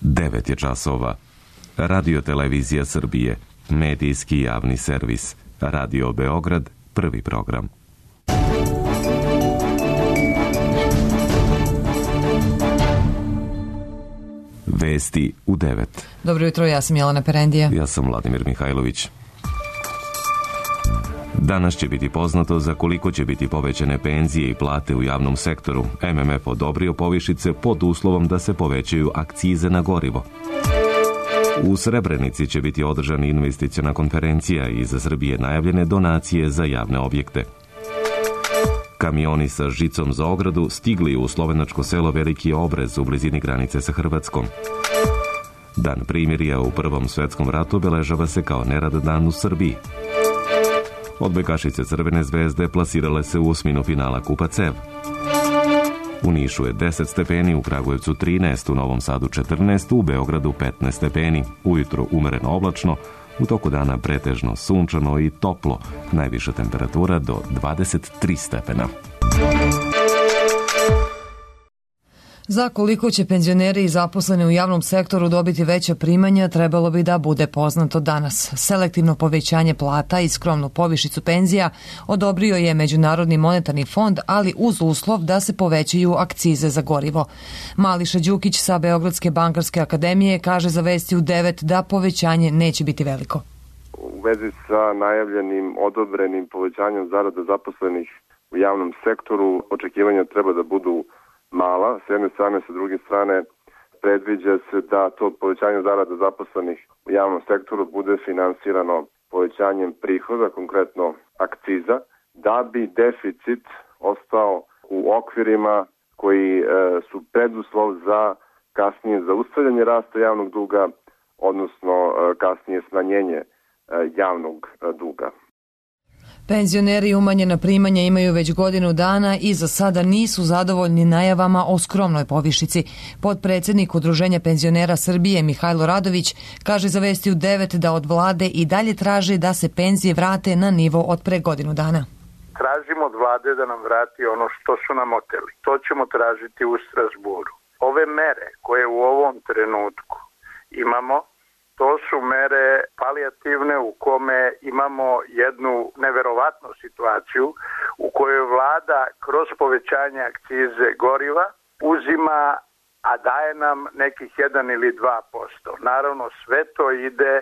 9 je časova. Radio Televizija Srbije, medijski javni servis. Radio Beograd, prvi program. Vesti u 9. Dobro jutro, ja sam Jelena Perendija. Ja sam Vladimir Mihajlović. Danas će biti poznato za koliko će biti povećane penzije i plate u javnom sektoru. MMF odobrio povišice pod uslovom da se povećaju akcize na gorivo. U Srebrenici će biti održana investiciona konferencija i za Srbije najavljene donacije za javne objekte. Kamioni sa žicom za ogradu stigli u slovenačko selo Veliki Obrez u blizini granice sa Hrvatskom. Dan primirja u Prvom svetskom ratu obeležava se kao nerad dan u Srbiji. Odbojkašice Crvene zvezde plasirale se u osminu finala Kupa CEV. U Nišu je 10 stepeni, u Kragujevcu 13, u Novom Sadu 14, u Beogradu 15 stepeni. Ujutro umereno oblačno, u toku dana pretežno sunčano i toplo, najviša temperatura do 23 stepena. Za koliko će penzioneri i zaposleni u javnom sektoru dobiti veća primanja, trebalo bi da bude poznato danas. Selektivno povećanje plata i skromnu povišicu penzija odobrio je Međunarodni monetarni fond, ali uz uslov da se povećaju akcize za gorivo. Mališa Đukić sa Beogradske bankarske akademije kaže za Vesti u 9 da povećanje neće biti veliko. U vezi sa najavljenim odobrenim povećanjem zarada zaposlenih u javnom sektoru, očekivanja treba da budu mala, s jedne strane, sa druge strane predviđa se da to povećanje zarada zaposlenih u javnom sektoru bude finansirano povećanjem prihoda, konkretno akciza, da bi deficit ostao u okvirima koji su preduslov za kasnije zaustavljanje rasta javnog duga, odnosno kasnije smanjenje javnog duga. Penzioneri umanjena primanja imaju već godinu dana i za sada nisu zadovoljni najavama o skromnoj povišici. Potpredsednik Udruženja penzionera Srbije Mihajlo Radović kaže za Vesti u 9 da od vlade i dalje traže da se penzije vrate na nivo od pre godinu dana. Tražimo od vlade da nam vrati ono što su nam oteli. To ćemo tražiti u Strasburu. Ove mere koje u ovom trenutku imamo, to su mere palijativne u kome imamo jednu neverovatnu situaciju u kojoj vlada kroz povećanje akcize goriva uzima, a daje nam nekih 1 ili 2%. Naravno, sve to ide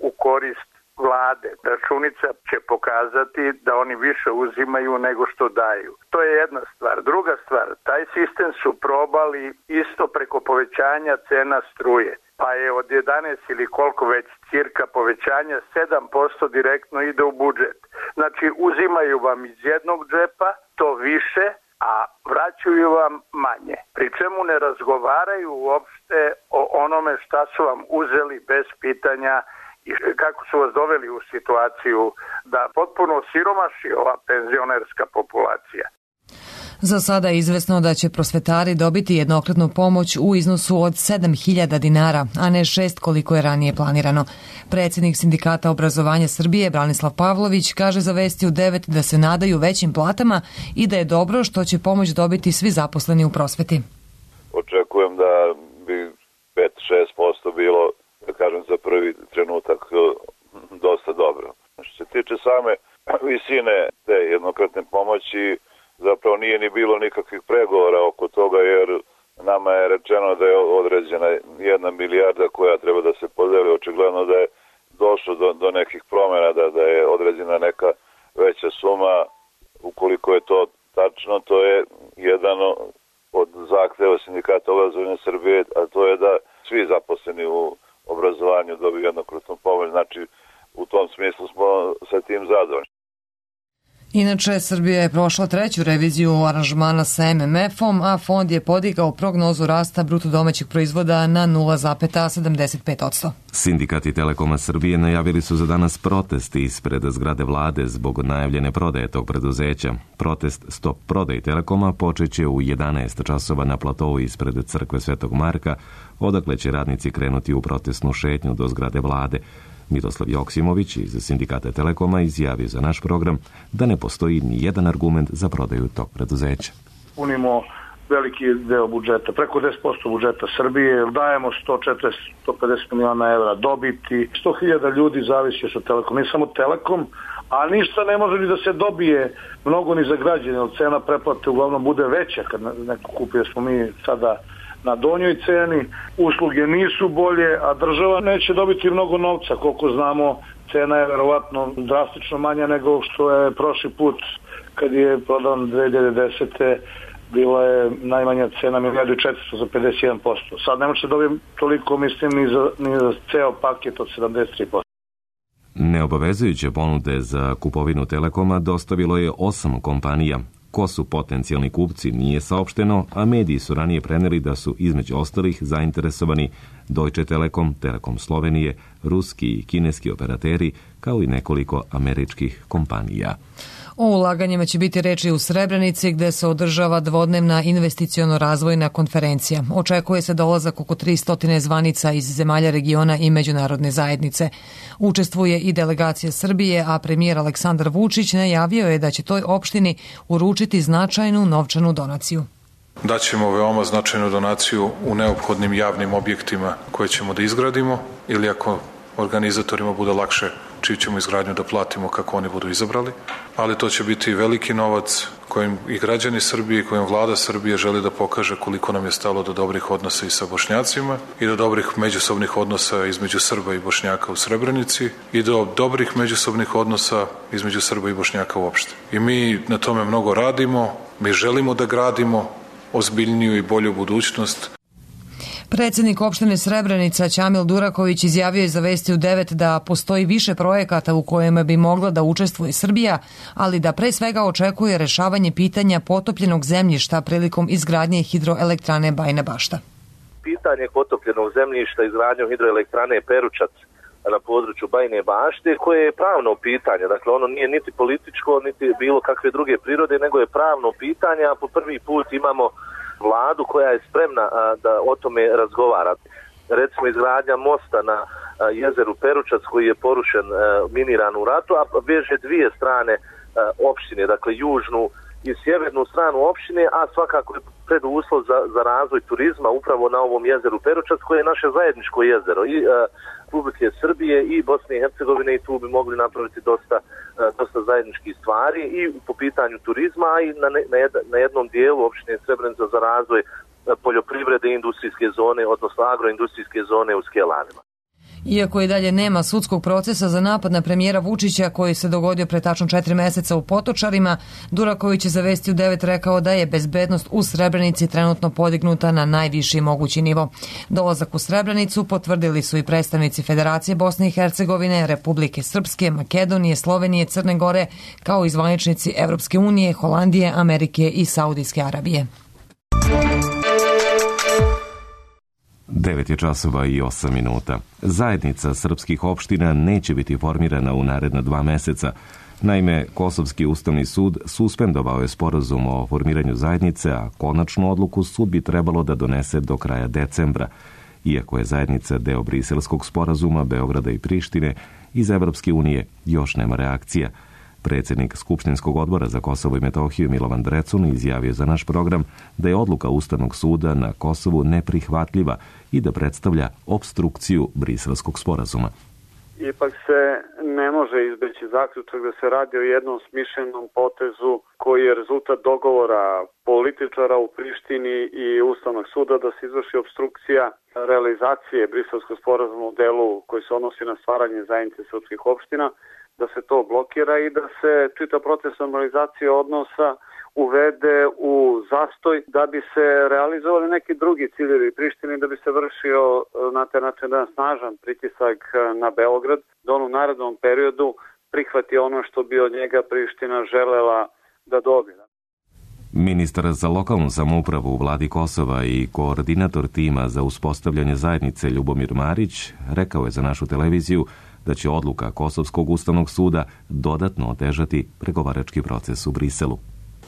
u korist vlade. Računica će pokazati da oni više uzimaju nego što daju. To je jedna stvar. Druga stvar, taj sistem su probali isto preko povećanja cena struje. Pa je od 11 ili koliko već cirka povećanja 7% direktno ide u budžet. Znači uzimaju vam iz jednog džepa to više, a vraćaju vam manje. Pri čemu ne razgovaraju uopšte o onome šta su vam uzeli bez pitanja i kako su vas doveli u situaciju da potpuno siromaši ova penzionerska populacija. Za sada je izvesno da će prosvetari dobiti jednokratnu pomoć u iznosu od 7.000 dinara, a ne 6 koliko je ranije planirano. Predsjednik Sindikata obrazovanja Srbije Branislav Pavlović kaže za Vesti u 9 da se nadaju većim platama i da je dobro što će pomoć dobiti svi zaposleni u prosveti. Očekujem da bi 5-6% bilo, da kažem, za prvi trenutak dosta dobro. Što se tiče same visine te jednokratne pomoći, zapravo nije ni bilo nikakvih pregovora oko toga, jer nama je rečeno da je određena 1 milijarda koja treba da se podeli. Očigledno da je došlo do nekih promjena, da je određena neka veća suma. Ukoliko je to tačno, to je jedan od zahteva Sindikata obrazovanja Srbije, a to je da svi zaposleni u obrazovanju dobiju jednokratnu pomoć. Znači, u tom smislu smo sa tim zadovoljni. Inače, Srbija je prošla 3. reviziju aranžmana sa MMF-om, a fond je podigao prognozu rasta bruto domaćeg proizvoda na 0,75%. Sindikati Telekoma Srbije najavili su za danas protest ispred zgrade vlade zbog najavljene prodaje tog preduzeća. Protest Stop prodaj Telekoma počeće u 11 časova na platovu ispred crkve Svetog Marka, odakle će radnici krenuti u protestnu šetnju do zgrade vlade. Miroslav Joksimović iz Sindikata Telekoma izjavio za naš program da ne postoji ni jedan argument za prodaju tog preduzeća. Punimo veliki deo budžeta, preko 10% budžeta Srbije, dajemo 140-150 miliona evra dobiti, 100.000 ljudi zavisi od Telekom, nije samo Telekom, a ništa ne može ni da se dobije mnogo ni za građane, jer cena pretplate uglavnom bude veća kad neko kupi, jer smo mi sada na donjoj ceni, usluge nisu bolje, a država neće dobiti mnogo novca, koliko znamo, cena je verovatno drastično manja nego što je prošli put kad je prodan 2010. bila je najmanja cena 1.400.000 za 51%. Sad ne može dobijem toliko, mislim, ni za ceo paket od 73%. Neobavezujuće ponude za kupovinu Telekoma dostavilo je 8 kompanija. Ko su potencijalni kupci nije saopšteno, a mediji su ranije preneli da su između ostalih zainteresovani Deutsche Telekom, Telekom Slovenije, ruski i kineski operateri, kao i nekoliko američkih kompanija. O ulaganjima će biti reči u Srebrenici, gde se održava dvodnevna investiciono-razvojna konferencija. Očekuje se dolazak oko 300 zvanica iz zemalja regiona i međunarodne zajednice. Učestvuje i delegacija Srbije, a premijer Aleksandar Vučić najavio je da će toj opštini uručiti značajnu novčanu donaciju. Daćemo veoma značajnu donaciju u neophodnim javnim objektima koje ćemo da izgradimo, ili ako organizatorima bude lakše, čiju ćemo izgradnju da platimo kako oni budu izabrali, ali to će biti veliki novac kojim i građani Srbije i kojim vlada Srbije želi da pokaže koliko nam je stalo do dobrih odnosa i sa Bošnjacima i do dobrih međusobnih odnosa između Srba i Bošnjaka u Srebrenici i do dobrih međusobnih odnosa između Srba i Bošnjaka uopšte. I mi na tome mnogo radimo, mi želimo da gradimo ozbiljniju i bolju budućnost. Predsednik opštine Srebrenica Ćamil Duraković izjavio je za Vesti u 9 da postoji više projekata u kojima bi mogla da učestvuje Srbija, ali da pre svega očekuje rešavanje pitanja potopljenog zemljišta prilikom izgradnje hidroelektrane Bajina Bašta. Pitanje potopljenog zemljišta izgradnjom hidroelektrane Peručac na području Bajine Bašte, koje je pravno pitanje, dakle ono nije niti političko, niti bilo kakve druge prirode, nego je pravno pitanje, a po prvi put imamo vladu koja je spremna da o tome razgovara. Recimo izgradnja mosta na jezeru Peručac koji je porušen, miniran u ratu, a veže dvije strane opštine, dakle južnu i sjevernu stranu opštine, a svakako je preduslov za razvoj turizma upravo na ovom jezeru Peručac koje je naše zajedničko jezero i Republike Srbije i Bosne i Hercegovine, i tu bi mogli napraviti dosta zajedničkih stvari i po pitanju turizma, a i na jednom dijelu opštine Srebrenica za razvoj poljoprivrede i industrijske zone, odnosno agroindustrijske zone u Skelanima. Iako i dalje nema sudskog procesa za napad na premijera Vučića koji se dogodio pre tačno 4 meseca u Potočarima, Duraković je za Vesti u 9 rekao da je bezbednost u Srebrenici trenutno podignuta na najviši mogući nivo. Dolazak u Srebrenicu potvrdili su i predstavnici Federacije Bosne i Hercegovine, Republike Srpske, Makedonije, Slovenije, Crne Gore, kao i zvaničnici Evropske unije, Holandije, Amerike i Saudijske Arabije. 9:08. Zajednica srpskih opština neće biti formirana u naredna 2 meseca. Naime, Kosovski ustavni sud suspendovao je sporazum o formiranju zajednice, a konačnu odluku sud bi trebalo da donese do kraja decembra. Iako je zajednica deo Briselskog sporazuma Beograda i Prištine, iz Evropske unije još nema reakcija. Predsjednik Skupštinskog odbora za Kosovo i Metohiju Milovan Drecun izjavio za naš program da je odluka Ustavnog suda na Kosovu neprihvatljiva i da predstavlja opstrukciju Briselskog sporazuma. Ipak se ne može izbeći zaključak da se radi o jednom smišljenom potezu koji je rezultat dogovora političara u Prištini i Ustavnog suda da se izvrši opstrukcija realizacije Briselskog sporazuma u delu koji se odnosi na stvaranje zajednice srpskih opština, da se to blokira i da se čitav proces normalizacije odnosa uvede u zastoj da bi se realizovali neki drugi ciljevi Prištine, da bi se vršio na taj način jedan snažan pritisak na Beograd, da on u narednom periodu prihvati ono što bi od njega Priština želela da dobije. Ministar za lokalnu samoupravu u vladi Kosova i koordinator tima za uspostavljanje zajednice Ljubomir Marić rekao je za našu televiziju da će odluka Kosovskog ustavnog suda dodatno otežati pregovarački proces u Briselu.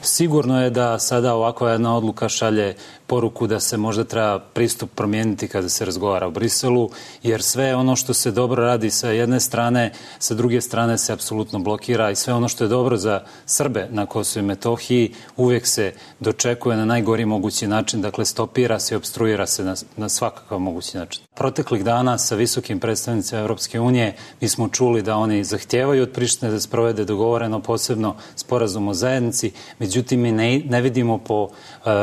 Sigurno je da sada ovakva jedna odluka šalje poruku da se možda treba pristup promijeniti kada se razgovara o Briselu, jer sve ono što se dobro radi sa jedne strane, sa druge strane se apsolutno blokira i sve ono što je dobro za Srbe na Kosovu i Metohiji uvijek se dočekuje na najgori mogući način, dakle stopira se i obstruira se na svakakav mogući način. Proteklih dana sa visokim predstavnicima Evropske unije mi smo čuli da oni zahtijevaju od Prištine da sprovede dogovoreno posebno sporazum o zajednici, međutim mi ne vidimo po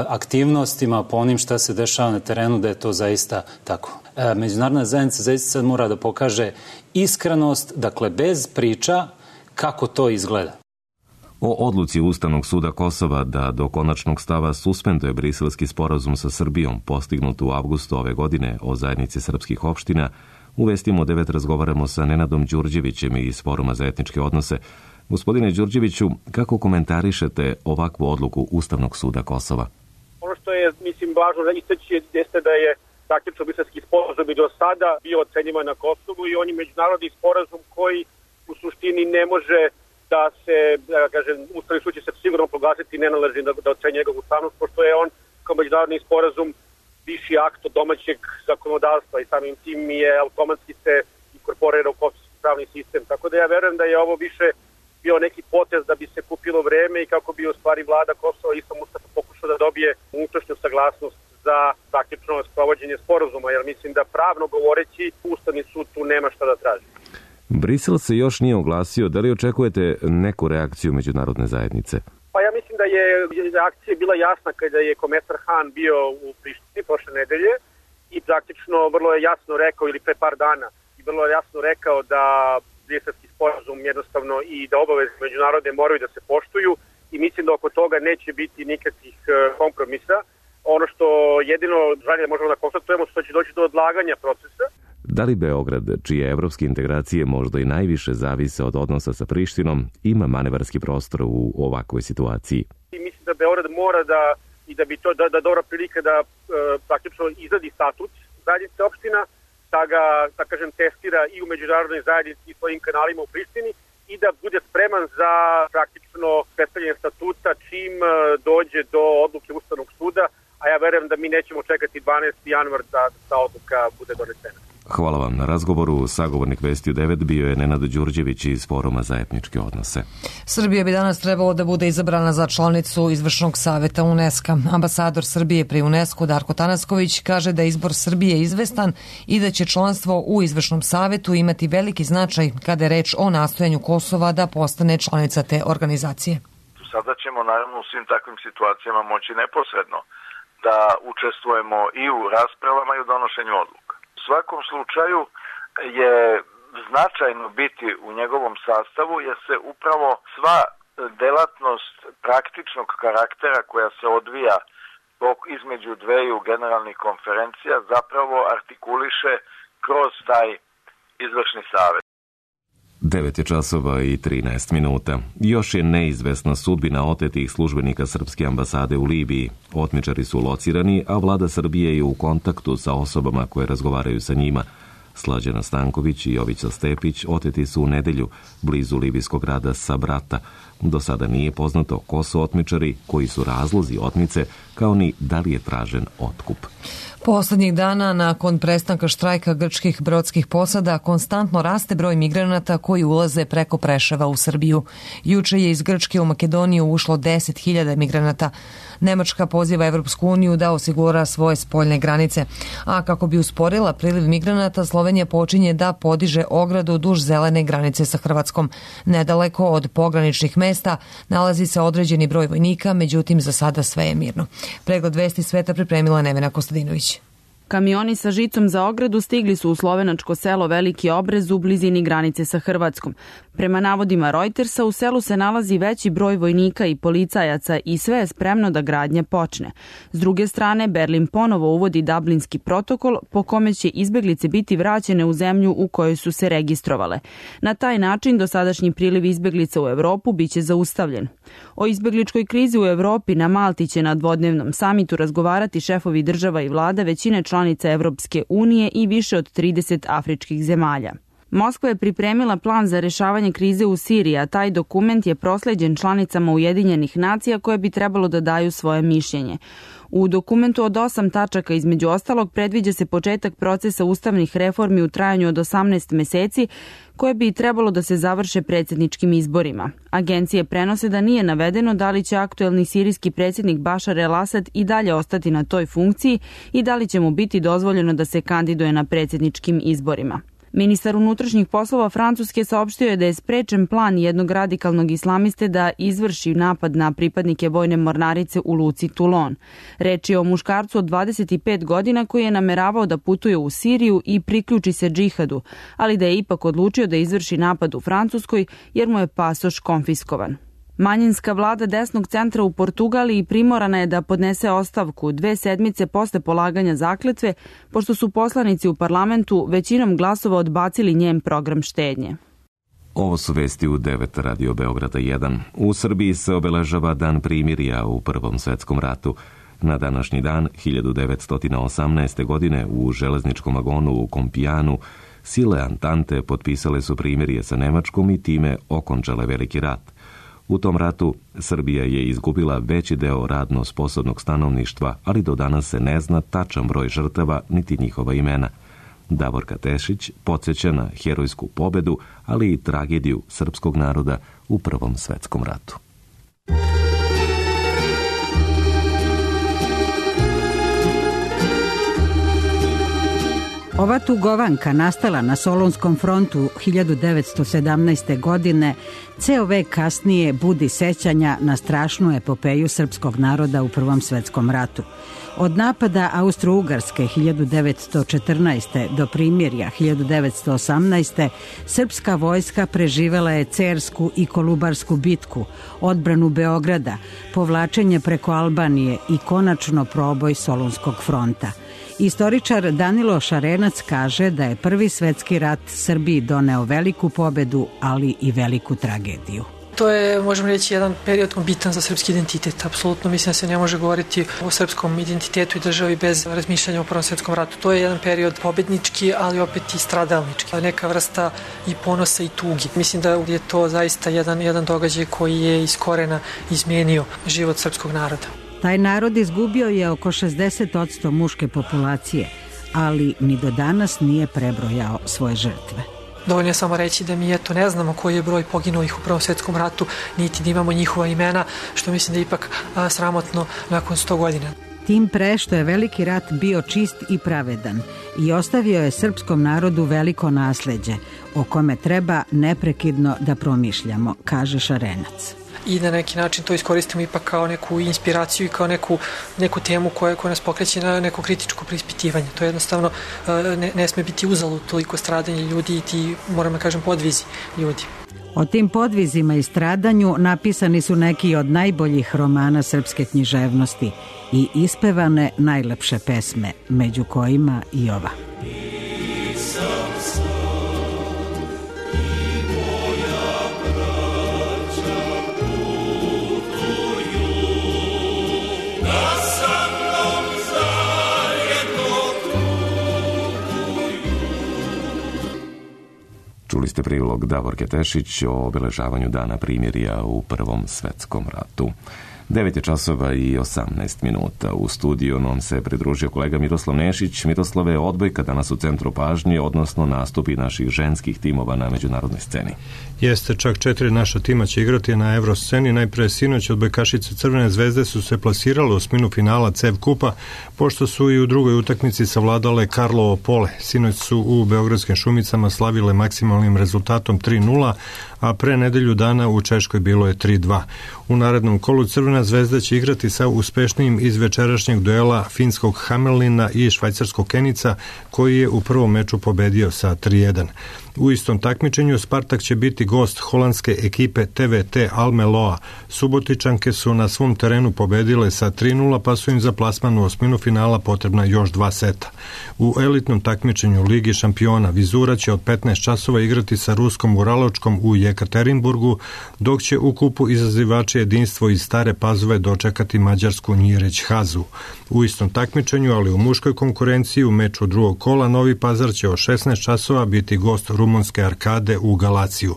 aktivnostima, po onim šta se dešava na terenu da je to zaista tako. Međunarodna zajednica zaista sad mora da pokaže iskrenost, dakle bez priča kako to izgleda. O odluci Ustavnog suda Kosova da do konačnog stava suspenduje briselski sporazum sa Srbijom postignut u avgustu ove godine o zajednici srpskih opština, u Vestima 9 razgovaramo sa Nenadom Đurđevićem iz Foruma za etničke odnose. Gospodine Đurđeviću, kako komentarišete ovakvu odluku Ustavnog suda Kosova? Ono što je, važno da istaći jeste da je praktično briselski sporazum i do sada bio ocenjivan na Kosovu i on je međunarodni sporazum koji u suštini ne može da se, Ustavni sud će se sigurno proglasiti nenaležnim da ocenje njegovu ustavnost, pošto je on kao međunarodni sporazum viši akt od domaćeg zakonodavstva i samim tim je automatski se inkorporira u kosovski pravni sistem. Tako da ja verujem da je ovo više bio neki potez da bi se kupilo vreme i kako bi u stvari vlada Kosova i Mustafa pokušao da dobije unutrašnju saglasnost za praktično sprovođenje sporazuma, jer mislim da pravno govoreći Ustavni sud tu nema šta da traži. Brisel se još nije oglasio. Da li očekujete neku reakciju međunarodne zajednice? Pa ja mislim da je reakcija bila jasna kada je komesar Han bio u Prištini prošle nedelje i praktično vrlo je jasno rekao, ili pre par dana, i vrlo je jasno rekao da briselski sporazum jednostavno i da obaveze međunarodne moraju da se poštuju i mislim da oko toga neće biti nikakvih kompromisa. Ono što jedino žalje možemo da konstatujemo što će doći do odlaganja procesa. Da li Beograd, čije evropske integracije možda i najviše zavise od odnosa sa Prištinom, ima manevarski prostor u ovakvoj situaciji? I mislim da Beograd mora i da bi to da dobra prilika da praktično izradi statut zajednice opština, da ga, testira i u međunarodnoj zajednici i svojim kanalima u Prištini i da bude spreman za praktično predstavljanje statuta čim dođe do odluke Ustavnog suda, a ja verujem da mi nećemo čekati 12. januar da ta odluka bude donesena. Hvala vam na razgovoru. Sagovornik Vestiju 9 bio je Nenad Đurđević iz Foruma za etničke odnose. Srbija bi danas trebalo da bude izabrana za članicu Izvršnog saveta UNESCO. Ambasador Srbije pri UNESCO Darko Tanasković kaže da je izbor Srbije izvestan i da će članstvo u Izvršnom savetu imati veliki značaj kada je reč o nastojanju Kosova da postane članica te organizacije. Sada ćemo naravno u svim takvim situacijama moći neposredno da učestvujemo i u raspravama i u donošenju odluka. U svakom slučaju je značajno biti u njegovom sastavu jer se upravo sva delatnost praktičnog karaktera koja se odvija između dveju generalnih konferencija zapravo artikuliše kroz taj izvršni savet. 9 je časova i 13 minuta. Još je neizvesna sudbina otetih službenika Srpske ambasade u Libiji. Otmičari su locirani, a vlada Srbije je u kontaktu sa osobama koje razgovaraju sa njima. Slađana Stanković i Jovica Stepić oteti su u nedelju blizu libijskog grada Sabrata. Do sada nije poznato ko su otmičari, koji su razlozi otmice, kao ni da li je tražen otkup. Poslednjih dana, nakon prestanka štrajka grčkih brodskih posada, konstantno raste broj migranata koji ulaze preko Preševa u Srbiju. Juče je iz Grčke u Makedoniju ušlo 10.000 migranata. Nemačka poziva Evropsku uniju da osigura svoje spoljne granice. A kako bi usporila priliv migranata, Slovenija počinje da podiže ogradu duž zelene granice sa Hrvatskom. Nedaleko od pograničnih mesta nalazi se određeni broj vojnika, međutim za sada sve je mirno. Pregled vesti sveta pripremila Nevena Kostadinović. Kamioni sa žicom za ogradu stigli su u slovenačko selo Veliki Obrez u blizini granice sa Hrvatskom. Prema navodima Reutersa, u selu se nalazi veći broj vojnika i policajaca i sve je spremno da gradnja počne. S druge strane, Berlin ponovo uvodi Dublinski protokol po kome će izbeglice biti vraćene u zemlju u kojoj su se registrovale. Na taj način dosadašnji priliv izbeglica u Evropu biće zaustavljen. O izbegličkoj krizi u Evropi na Malti će na dvodnevnom samitu razgovarati šefovi država i vlada većine članica Evropske unije i više od 30 afričkih zemalja. Moskva je pripremila plan za rešavanje krize u Siriji, a taj dokument je prosleđen članicama Ujedinjenih nacija koje bi trebalo da daju svoje mišljenje. U dokumentu od 8 tačaka između ostalog predviđa se početak procesa ustavnih reformi u trajanju od 18 meseci koje bi trebalo da se završe predsjedničkim izborima. Agencije prenose da nije navedeno da li će aktuelni sirijski predsjednik Bašar el-Asad i dalje ostati na toj funkciji i da li će mu biti dozvoljeno da se kandiduje na predsjedničkim izborima. Ministar unutrašnjih poslova Francuske saopštio je da je sprečen plan jednog radikalnog islamiste da izvrši napad na pripadnike vojne mornarice u luci Toulon. Reč je o muškarcu od 25 godina koji je nameravao da putuje u Siriju i priključi se džihadu, ali da je ipak odlučio da izvrši napad u Francuskoj jer mu je pasoš konfiskovan. Manjinska vlada desnog centra u Portugaliji primorana je da podnese ostavku 2 sedmice posle polaganja zakletve, pošto su poslanici u parlamentu većinom glasova odbacili njen program štednje. Ovo su vesti u 9 Radio Beograda 1. U Srbiji se obeležava Dan primirja u Prvom svetskom ratu. Na današnji dan, 1918. godine, u železničkom vagonu u Kompijanu, sile Antante potpisale su primirje sa Nemačkom i time okončale Veliki rat. U tom ratu Srbija je izgubila veći deo radno sposobnog stanovništva, ali do danas se ne zna tačan broj žrtava niti njihova imena. Davorka Tešić podsjeća na herojsku pobedu, ali i tragediju srpskog naroda u Prvom svetskom ratu. Ova tugovanka nastala na Solunskom frontu 1917. godine ceo vek kasnije budi sećanja na strašnu epopeju srpskog naroda u Prvom svetskom ratu. Od napada Austro-Ugarske 1914. do primirja 1918. srpska vojska preživela je Cersku i Kolubarsku bitku, odbranu Beograda, povlačenje preko Albanije i konačno proboj Solunskog fronta. Istoričar Danilo Šarenac kaže da je Prvi svetski rat Srbiji doneo veliku pobedu, ali i veliku tragediju. To je, možemo reći, jedan period bitan za srpski identitet. Apsolutno mislim da se ne može govoriti o srpskom identitetu i državi bez razmišljanja o Prvom svetskom ratu. To je jedan period pobednički, ali opet i stradalnički. Neka vrsta i ponosa i tugi. Mislim da je to zaista jedan događaj koji je iz korena izmijenio život srpskog naroda. Taj narod izgubio je oko 60% muške populacije, ali ni do danas nije prebrojao svoje žrtve. Dovoljno je samo reći da mi ne znamo koji je broj poginulih u Prvom svetskom ratu, niti da imamo njihova imena, što mislim da je ipak sramotno nakon 100 godina. Tim pre što je Veliki rat bio čist i pravedan i ostavio je srpskom narodu veliko nasleđe, o kome treba neprekidno da promišljamo, kaže Šarenac. I na neki način to iskoristimo ipak kao neku inspiraciju i kao neku temu koja nas pokreće na neko kritičko preispitivanje. To jednostavno ne sme biti uzalud toliko stradanje ljudi i ti, moram da kažem, podvizi ljudi. O tim podvizima i stradanju napisani su neki od najboljih romana srpske književnosti i ispevane najlepše pesme, među kojima i ova. Čuli ste prilog Davorke Tešić o obeležavanju Dana primirja u Prvom svetskom ratu. 9:18. U studiju nam se pridružio kolega Miroslav Nešić. Miroslave, odbojka danas u centru pažnje, odnosno nastupi naših ženskih timova na međunarodnoj sceni. Jeste, čak 4 naša tima će igrati na Evrosceni. Najpre sinoć odbojkašice Crvene zvezde su se plasirale u osminu finala CEV kupa, pošto su i u drugoj utakmici savladale Karlovo Pole. Sinoć su u Beogradskim Šumicama slavile maksimalnim rezultatom 3:0, a pre nedelju dana u Češkoj bilo je 3:2. U narednom kolu Crvena zvezda će igrati sa uspešnijim iz večerašnjeg duela finskog Hamelina i švajcarskog Kenica, koji je u prvom meču pobedio sa 3:1. U istom takmičenju Spartak će biti gost holandske ekipe TVT Almeloa. Subotičanke su na svom terenu pobedile sa 3:0, pa su im za plasman u osminu finala potrebna još 2 seta. U elitnom takmičenju Ligi šampiona Vizura će od 15 časova igrati sa ruskom Uraločkom u Jekaterinburgu, dok će u kupu izazivače jedinstvo iz Stare Pazove dočekati mađarsku Njireć Hazu. U istom takmičenju, ali u muškoj konkurenciji, u meču drugog kola Novi Pazar će od 16 časova biti gost rumunske Arkade u Galaciju.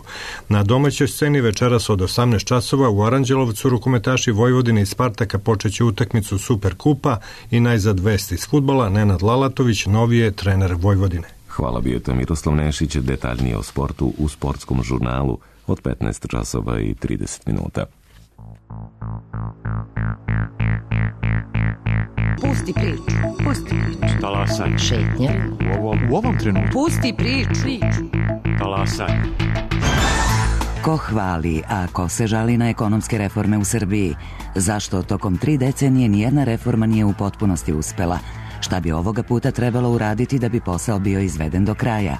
Na domaćoj sceni večeras od 18 časova u Aranđelovcu rukometaši Vojvodine i Spartaka počeće utakmicu Superkupa i najzad vest iz fudbala. Nenad Lalatović, novi je trener Vojvodine. Hvala, bio je to Miroslav Nešić, detaljnije o sportu u sportskom žurnalu od 15 časova i 30 minuta. Pusti priču. Pusti priču. Talasaj. Šetnja. U ovom trenutku. Pusti priču. Talasaj. Ko hvali, a ko se žali na ekonomske reforme u Srbiji? Zašto tokom 3 decenije nijedna reforma nije u potpunosti uspela? Šta bi ovoga puta trebalo uraditi da bi posao bio izveden do kraja?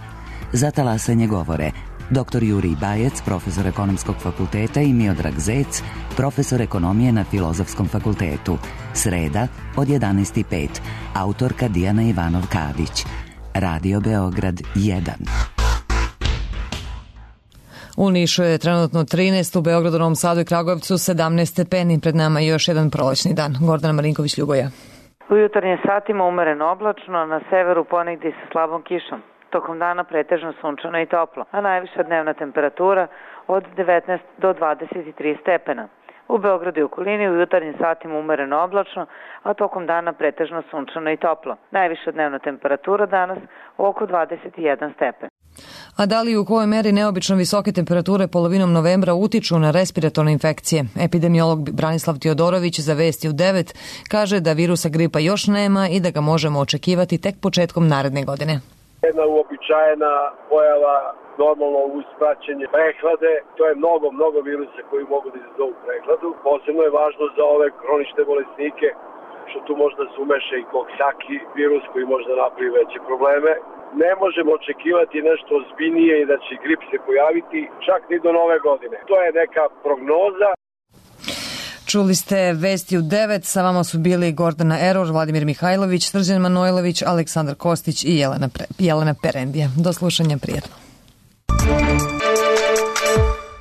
Za talasanje govore dr. Jurij Bajec, profesor ekonomskog fakulteta, i Miodrag Zec, profesor ekonomije na Filozofskom fakultetu. Sreda od 11:05. Autorka Dijana Ivanov-Kadić. Radio Beograd 1. U Nišu je trenutno 13, u Beogradu, Novom Sadu i Kragujevcu 17 stepeni. Pred nama je još jedan prolećni dan. Gordana Marinković-Ljuboja. U jutarnjim satima umereno oblačno, na severu ponegdje sa slabom kišom. Tokom dana pretežno sunčano i toplo, a najviša dnevna temperatura od 19 do 23 stepena. U Beogradu i okolini u jutarnjim satima umereno oblačno, a tokom dana pretežno sunčano i toplo. Najviša dnevna temperatura danas oko 21 stepen. A da li i u kojoj meri neobično visoke temperature polovinom novembra utiču na respiratorne infekcije? Epidemiolog Branislav Teodorović za Vesti u 9 kaže da virusa gripa još nema i da ga možemo očekivati tek početkom naredne godine. Jedna uobičajena pojava normalno uz praćenje prehlade, to je mnogo virusa koji mogu da izazovu prehladu. Posebno je važno za ove kronične bolesnike što tu možda se umeša i koksaki virus koji možda napravi veće probleme. Ne možemo očekivati nešto ozbiljnije i da će grip se pojaviti čak ni do nove godine. To je neka prognoza. Čuli ste Vesti u 9, sa vama su bili Gordana Eror, Vladimir Mihajlović, Srđan Manojlović, Aleksandar Kostić i Jelena Perendija. Do slušanja, prijatno.